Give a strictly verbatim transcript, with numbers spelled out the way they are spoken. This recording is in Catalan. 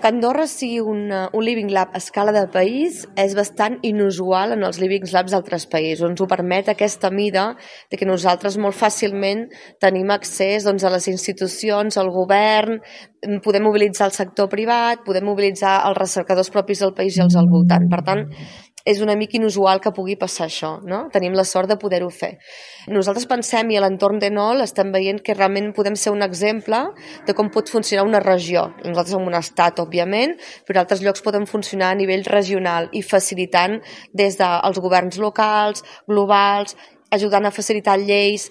Que Andorra sigui una, un Living Lab a escala de país és bastant inusual en els Living Labs d'altres països. Ens ho permet aquesta mida de que nosaltres molt fàcilment tenim accés doncs, a les institucions, al govern, podem mobilitzar el sector privat, podem mobilitzar els recercadors propis del país i els al voltant. Per tant, és una mica inusual que pugui passar això, no? Tenim la sort de poder-ho fer. Nosaltres pensem, i a l'entorn d'Enol estem veient que realment podem ser un exemple de com pot funcionar una regió. Nosaltres som un estat, òbviament, però altres llocs poden funcionar a nivell regional i facilitant des dels governs locals, globals, ajudant a facilitar lleis.